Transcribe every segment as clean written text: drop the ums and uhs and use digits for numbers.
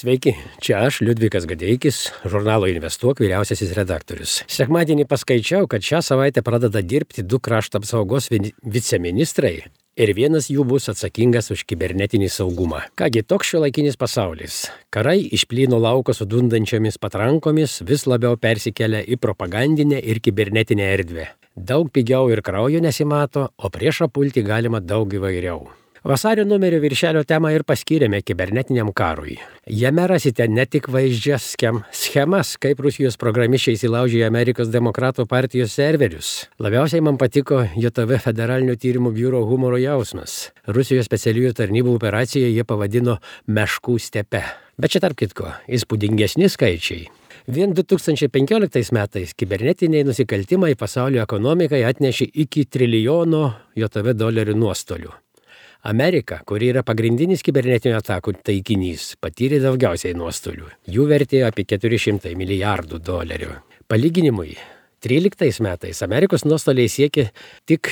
Sveiki, čia aš, Liudvikas Gadeikis, žurnalo Investuok vyriausiasis redaktorius. Sekmadienį paskaičiau, kad šią savaitę pradeda dirbti 2 krašto apsaugos viceministrai ir vienas jų bus atsakingas už kibernetinį saugumą. Kągi, toks šiuolaikinis pasaulis. Karai iš plyno lauko su dundančiomis patrankomis vis labiau persikelia į propagandinę ir kibernetinę erdvę. Daug pigiau ir kraujo nesimato, o priešą pulti galima daug įvairiau. Vasario numerio viršelio temą ir paskyrėme kibernetiniam karui. Jame rasite ne tik vaizdžias schemas, kaip Rusijos programišiai įsilaužė į Amerikos demokratų partijos serverius. Labiausiai man patiko JAV Federalinio tyrimų biuro humoro jausmas. Rusijos specialiųjų tarnybų operaciją jie pavadino meškų stepe. Bet čia tarp kitko, įspūdingesni skaičiai. Vien 2015 metais kibernetiniai nusikaltimai pasaulio ekonomikai atnešė iki trilijono JAV dolerių nuostolių. Amerika, kuri yra pagrindinis kibernetinių atakų taikinys, patyrė daugiausiai nuostolių. Jų vertė apie 400 milijardų dolerių. Palyginimui, 13 metais Amerikos nuostoliai siekė tik,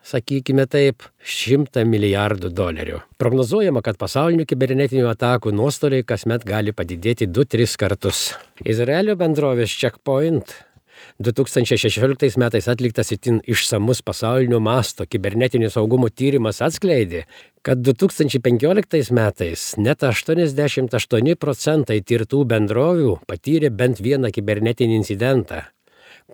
sakykime taip, 100 milijardų dolerių. Prognozuojama, kad pasaulinių kibernetinių atakų nuostoliai kasmet gali padidėti 2-3 kartus. Izraelio bendrovės Checkpoint 2016 metais atliktas itin išsamus pasaulinio masto kibernetinio saugumo tyrimas atskleidė, kad 2015 metais net 88% tirtų bendrovių patyrė bent vieną kibernetinį incidentą,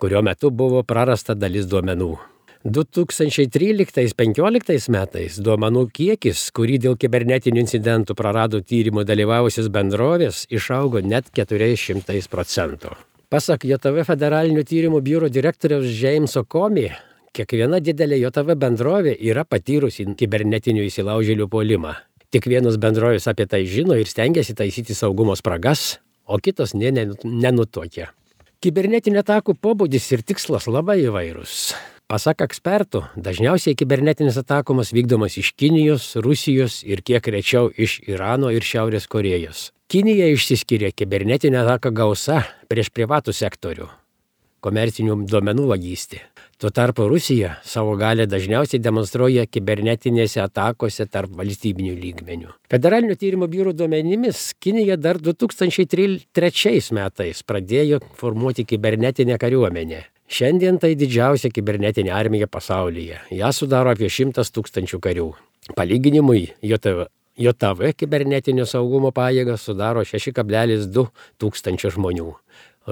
kurio metu buvo prarasta dalis duomenų. 2013-2015 metais duomenų kiekis, kurį dėl kibernetinių incidentų prarado tyrimo dalyvavusios bendrovės, išaugo net 400%. Pasak JAV Federalinio tyrimų biuro direktoriaus Jameso Comey, kiekviena didelė JAV bendrovė yra patyrusi kibernetinių įsilaužėlių puolimą. Tik vienos bendrovės apie tai žino ir stengiasi taisyti saugumo spragas, o kitos nenutuokia. Kibernetinio atakų pobūdis ir tikslas labai įvairūs. Pasak ekspertų, dažniausiai kibernetinis atakomas vykdomas iš Kinijos, Rusijos ir kiek rečiau iš Irano ir Šiaurės Korėjos. Kinija išsiskiria kibernetinę ataką gausa prieš privatų sektorių, komercinių duomenų vagystė. Tuo tarpu Rusija savo galią dažniausiai demonstruoja kibernetinėse atakose tarp valstybinių lygmenių. Federalinio tyrimų biuro duomenimis Kinija dar 2003 metais pradėjo formuoti kibernetinę kariuomenę. Šiandien tai didžiausia kibernetinė armija pasaulyje. Ja sudaro apie 100 000 karių. Palyginimui, JAV kibernetinio saugumo pajėgas sudaro 6,2 tūkstančio žmonių.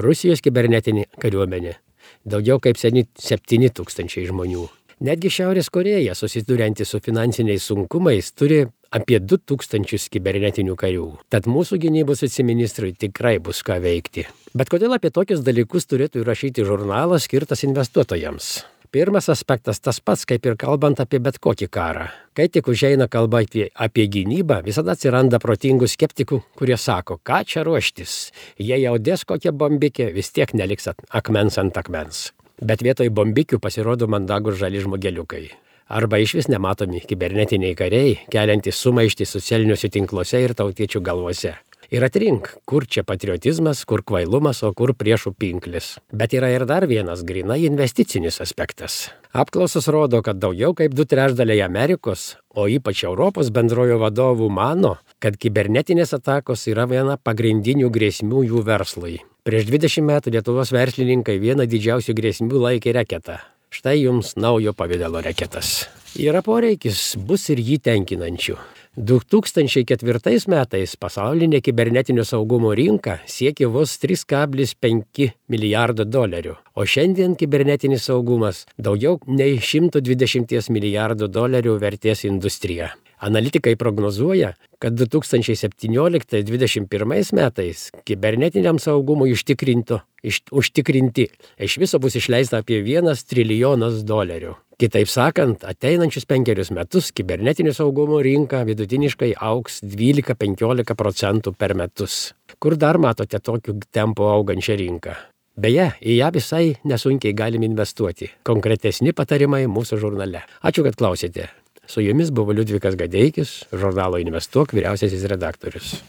Rusijos kibernetinė kariuomenė daugiau kaip 7 000 žmonių. Netgi Šiaurės Korėja, susidurianti su finansiniais sunkumais, turi apie 2000 kibernetinių karių. Tad mūsų gynybos viceministrui tikrai bus ką veikti. Bet kodėl apie tokius dalykus turėtų įrašyti žurnalas skirtas investuotojams? Pirmas aspektas tas pats, kaip ir kalbant apie bet kokį karą. Kai tik užeina kalba apie gynybą, visada atsiranda protingų skeptikų, kurie sako, ką čia ruoštis. Jei jau dės kokią bombikę, vis tiek neliks akmens ant akmens. Bet vietoj bombikių pasirodo mandagus žali žmogeliukai. Arba išvis nematomi kibernetiniai kariai, keliantys sumaištį socialiniuose tinkluose ir tautiečių galvose. Ir atrink, kur čia patriotizmas, kur kvailumas, o kur priešų pinklis. Bet yra ir dar vienas grynai investicinis aspektas. Apklausos rodo, kad daugiau kaip 2/3 Amerikos, o ypač Europos bendrojo vadovų mano, kad kibernetinės atakos yra viena pagrindinių grėsmių jų verslui. Prieš 20 metų Lietuvos verslininkai vieną didžiausių grėsmių laikė reketą. Štai jums naujo pavidalo reketas. Yra poreikis, bus ir jį tenkinančių. 2004 metais pasaulinė kibernetinio saugumo rinka siekė vos 3,5 milijardo dolerių, o šiandien kibernetinis saugumas daugiau nei 120 milijardų dolerių vertės industrija. Analitikai prognozuoja, kad 2017-2021 metais kibernetiniam saugumui užtikrinti iš viso bus išleista apie 1 trilijonas dolerių. Kitaip sakant, ateinančius 5 metus kibernetinio saugumo rinka vidutiniškai augs 12-15% per metus. Kur dar matote tokiu tempu augančią rinką? Beje, į ją visai nesunkiai galim investuoti. Konkretesni patarimai mūsų žurnale. Ačiū, kad klausėte. Su jumis buvo Liudvikas Gadeikis, žurnalo Investuok vyriausiasis redaktorius.